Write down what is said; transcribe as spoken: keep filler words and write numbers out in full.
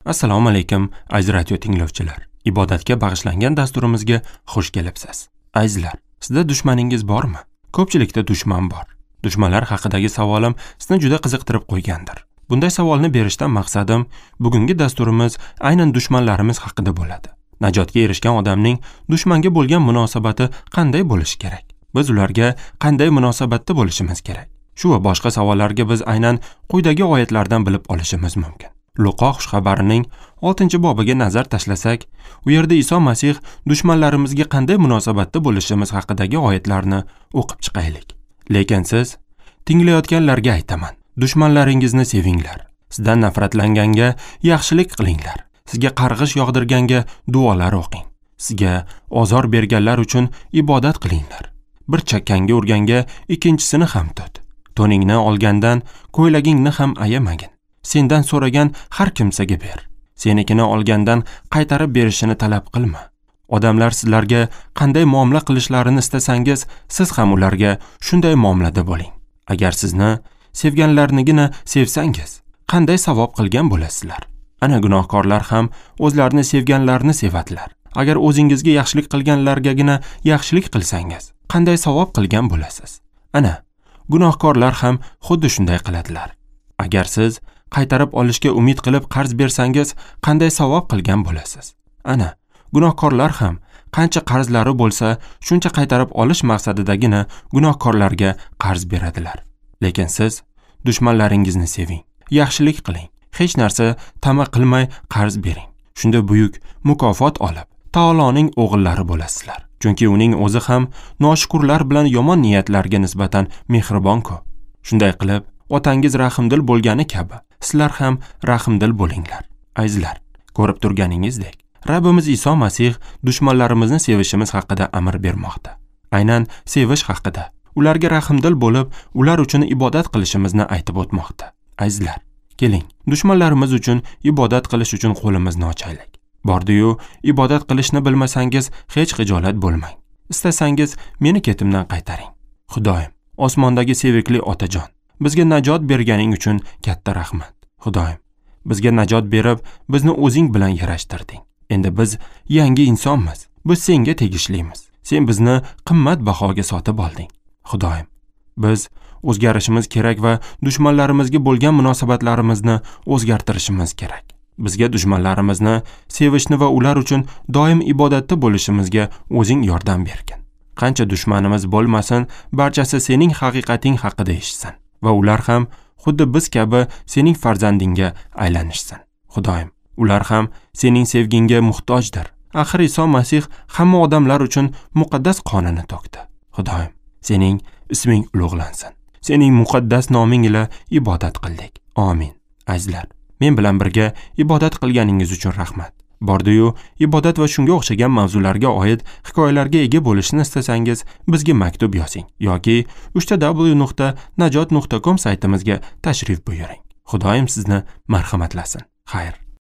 Assalomu alaykum, aziz radio tinglovchilar. Ibodatga bag'ishlangan dasturimizga xush kelibsiz. Azizlar, sizda dushmaningiz bormi? Ko'pchilikda dushman bor. Dushmanlar haqidagi savolim sizni juda qiziqtirib qo'ygandir. Bunday savolni berishdan maqsadim, bugungi dasturimiz aynan dushmanlarimiz haqida bo'ladi. Najotga erishgan odamning dushmanga bo'lgan munosabati qanday bo'lishi kerak? Biz ularga qanday munosabatda bo'lishimiz kerak? Shu va boshqa savollarga biz aynan quyidagi oyatlardan bilib olishimiz mumkin. Luqo xushxabarining oltinchi bobiga nazar tashlasak, u yerda Iso Masih dushmanlarimizga qanday munosabatda bo'lishimiz haqidagi oyatlarni o'qib chiqaylik. Lekin siz tinglayotganlarga aytaman, dushmanlaringizni sevinglar, sizdan nafratlanganga yaxshilik qilinglar, sizga qarg'ish yog'dirganga duolar o'qing, sizga ozor berganlar uchun ibodat qilinglar. Bir chakkangga urganga ikkinchisini ham tut. To'ningni olgandan ko'ylagingni ham ayamagin. Sendan so'ragan har kimsaga ber. Senikini olgandan qaytarib berishini talab qilma. Odamlar sizlarga qanday muomala qilishlarini istasangiz, siz ham ularga shunday muomalada bo'ling. Agar sizni sevganlarnigina sevsangiz, qanday savob qilgan bo'lasizlar? Ana gunohkorlar ham o'zlarini sevganlarni sevadilar. Agar o'zingizga yaxshilik qilganlargagina yaxshilik qilsangiz, qanday savob qilgan bo'lasiz? Ana gunohkorlar ham xuddi shunday qiladilar. Agar siz qaytarib olishga umid qilib qarz bersangiz, qanday savob qilgan bo'lasiz? Ana gunohkorlar ham qancha qarzlari bo'lsa, shuncha qaytarib olish maqsadidagina gunohkorlarga qarz beradilar. Lekin siz dushmanlaringizni seving, yaxshilik qiling, hech narsa tama qilmay qarz bering. Shunda buyuk mukofot olib, Taoloning o'g'illari bo'lasizlar. Chunki uning o'zi ham noshukurlar bilan yomon niyatlarga nisbatan mehribon-ku. Shunday qilib, otangiz rahimdil bo'lgani kabi, sizlar ham rahimdil bo'linglar. Azizlar, ko'rib turganingizdek, Rabbimiz Iso Masih dushmanlarimizni sevishimiz haqida amr bermoqda. Aynan sevish haqida, ularga rahimdil bo'lib, ular uchun ibodat qilishimizni aytib o'tmoqda. Azizlar, keling, dushmanlarimiz uchun ibodat qilish uchun qo'limizni ochaylik. Bordi-yu, ibodat qilishni bilmasangiz hech xijolat bo'lmang. Istasangiz meni ketimdan qaytaring. Xudoyim, osmondagi sevikli otajon, bizga najot berganing uchun katta rahmat. Xudoyim, bizga najot berib, bizni o'zing bilan yarashtirding. Endi biz yangi insonmiz. Biz senga tegishlimiz. Sen bizni qimmat bahoga sotib olding. Xudoyim, biz o'zgarishimiz kerak va dushmanlarimizga bo'lgan munosabatlarimizni o'zgartirishimiz kerak. Bizga dushmanlarimizni sevishni va ular uchun doim ibodatda bo'lishimizga o'zing yordam bergin. Qancha dushmanimiz bo'lmasin, barchasi sening haqiqating haqida eshitsin va ular ham xuddi biz kabi sening farzandingga aylanishsin. Xudoyim, ular ham sening sevgingga muhtojdir. Axir Iso Masih hamma odamlar uchun muqaddas qonini to'kdi. Xudoyim, sening isming ulug'lansin. Sening muqaddas noming ila ibodat qildik. Amin. Azizlar, men bilan birga ibodat qilganingiz uchun rahmat. Bordi-yu, ibodat va shunga o'xshagan mavzularga oid hikoyalarga ega bo'lishni istasangiz, bizga maktub yozing yoki uch ta w nuqta najot nuqta com saytimizga tashrif buyuring. Xudoyim sizni marhamatlasin. Xayr.